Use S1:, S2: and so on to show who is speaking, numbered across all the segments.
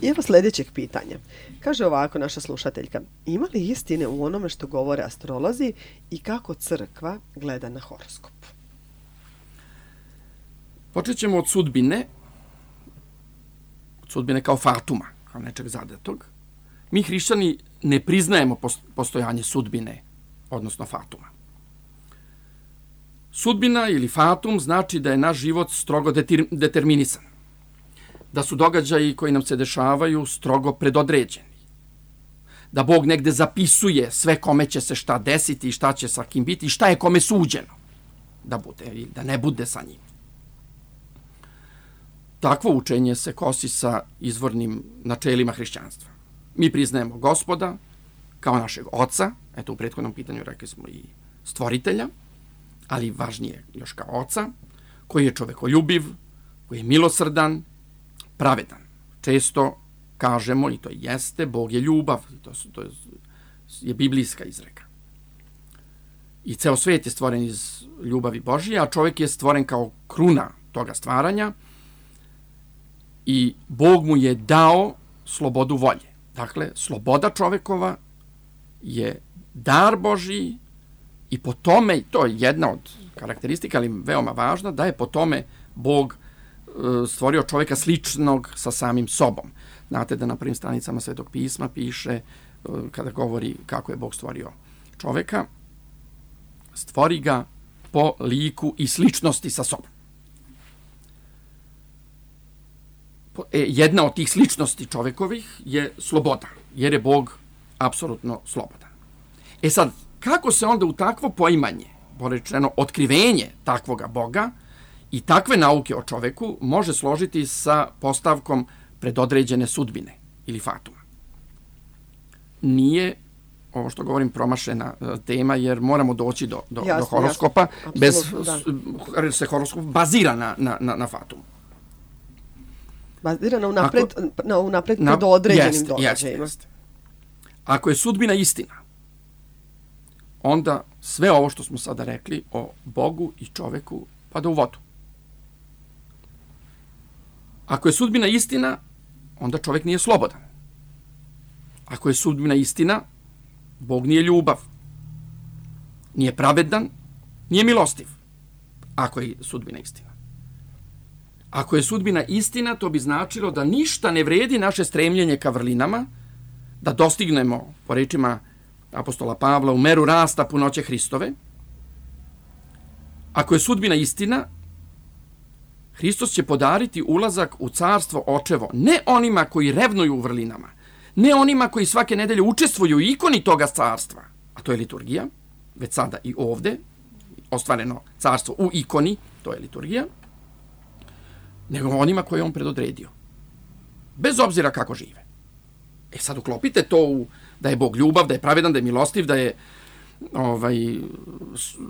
S1: I evo sljedećeg pitanja. Kaže ovako naša slušateljka. Ima li istine u onome što govore astrolozi i kako crkva gleda na horoskop?
S2: Počet ćemo od sudbine. Od sudbine kao fatuma, kao nečeg zadatog. Mi hrišćani ne priznajemo postojanje sudbine, odnosno fatuma. Sudbina ili fatum znači da je naš život strogo determinisan. Da su događaji koji nam se dešavaju strogo predodređeni. Da Bog negde zapisuje sve kome će se šta desiti i šta će sa kim biti i šta je kome suđeno da bude ili da ne bude sa njim. Takvo učenje se kosi sa izvornim načelima hrišćanstva. Mi priznajemo Gospoda kao našeg oca, eto u prethodnom pitanju rekli smo i stvoritelja, ali važnije još kao oca, koji je čovekoljubiv, koji je milosrdan, pravedan. Često kažemo, i to jeste, Bog je ljubav, to je biblijska izreka. I ceo svet je stvoren iz ljubavi Božije, a čovjek je stvoren kao kruna toga stvaranja i Bog mu je dao slobodu volje. Dakle, sloboda čovekova je dar Božiji i po tome, to je jedna od karakteristika, ali veoma važna, da je po tome Bog stvorio čovjeka sličnog sa samim sobom. Znate da na prvim stranicama Svetog pisma piše, kada govori kako je Bog stvorio čovjeka, stvori ga po liku i sličnosti sa sobom. Jedna od tih sličnosti čovjekovih je sloboda, jer je Bog apsolutno slobodan. E sad, kako se onda u takvo poimanje, porečeno otkrivenje takvoga Boga i takve nauke o čoveku može složiti sa postavkom predodređene sudbine ili fatuma? Nije, ovo što govorim, promašena tema, jer moramo doći do horoskopa,
S1: jasno.
S2: bez
S1: Apsolutno,
S2: se horoskop bazira na fatumu.
S1: Bazira na unapred predodređenim događajima.
S2: Jeste. Ako je sudbina istina, onda sve ovo što smo sada rekli o Bogu i čoveku pada u vodu. Ako je sudbina istina, onda čovjek nije slobodan. Ako je sudbina istina, Bog nije ljubav, nije pravedan, nije milostiv. Ako je sudbina istina. Ako je sudbina istina, to bi značilo da ništa ne vredi naše stremljenje ka vrlinama, da dostignemo, po rečima apostola Pavla, u meru rasta punoće Hristove. Ako je sudbina istina, Hristos će podariti ulazak u carstvo očevo ne onima koji revnuju u vrlinama, ne onima koji svake nedelje učestvuju u ikoni toga carstva, a to je liturgija, već sada i ovde, ostvareno carstvo u ikoni, to je liturgija, nego onima koje on predodredio. Bez obzira kako žive. E sad uklopite to da je Bog ljubav, da je pravedan, da je milostiv, da je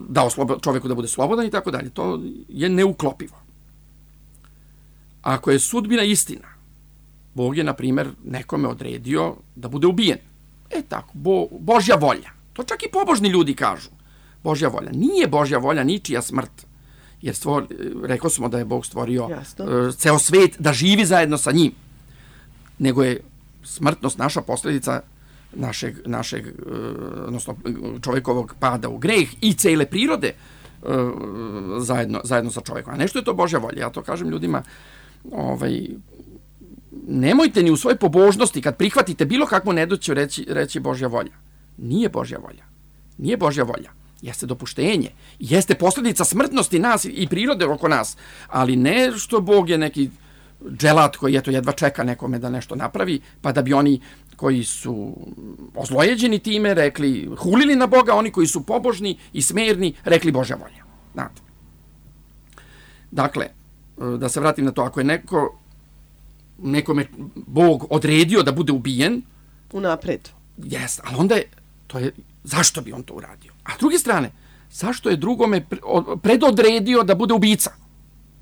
S2: dao čovjeku da bude slobodan i tako dalje. To je neuklopivo. Ako je sudbina istina, Bog je, na primjer, nekome odredio da bude ubijen. E tako, Božja volja. To čak i pobožni ljudi kažu. Božja volja. Nije Božja volja ničija smrt. Jer rekao smo da je Bog stvorio ceo svet da živi zajedno sa njim. Nego je smrtnost naša posljedica našeg odnosno čovjekovog pada u greh i cele prirode zajedno sa čovjekom. A nešto je to Božja volja. Ja to kažem ljudima, nemojte ni u svojoj pobožnosti, kad prihvatite bilo kakvu nedaću, reći Božja volja. Nije Božja volja. Nije Božja volja. Jeste dopuštenje. Jeste posljedica smrtnosti nas i prirode oko nas. Ali ne što Bog je neki dželat koji jedva čeka nekome da nešto napravi, pa da bi oni koji su ozlojeđeni time rekli, hulili na Boga, oni koji su pobožni i smerni rekli Božja volja. Znate. Dakle, da se vratim na to, ako je nekome Bog odredio da bude ubijen,
S1: unapred.
S2: Jeste, ali onda zašto bi on to uradio? A s druge strane, zašto je drugome predodredio da bude ubica?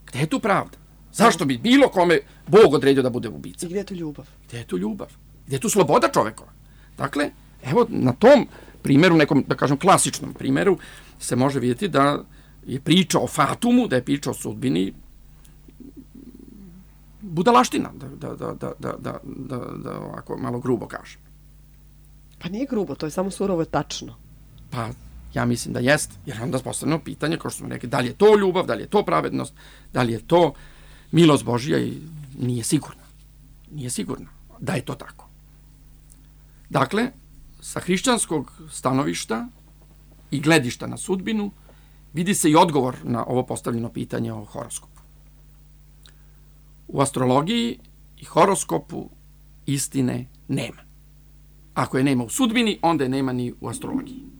S2: Gde je tu pravda? Zašto bi bilo kome Bog odredio da bude ubica?
S1: I gdje je tu ljubav?
S2: Gdje je tu ljubav? Gdje je tu sloboda čovekova? Dakle, evo na tom primjeru, nekom, da kažem, klasičnom primjeru, se može vidjeti da je priča o fatumu, da je priča o sudbini budalaština, da ovako malo grubo kažem.
S1: Pa nije grubo, to je samo surovo i tačno.
S2: Pa ja mislim da jest, jer onda postavljamo pitanje, kao što smo rekli, da li je to ljubav, da li je to pravednost, da li je to milost Božja, i nije sigurno. Nije sigurno da je to tako. Dakle, sa hrišćanskog stanovišta i gledišta na sudbinu vidi se i odgovor na ovo postavljeno pitanje o horoskopu. U astrologiji i horoskopu istine nema. Ako je nema u sudbini, onda je nema ni u astrologiji.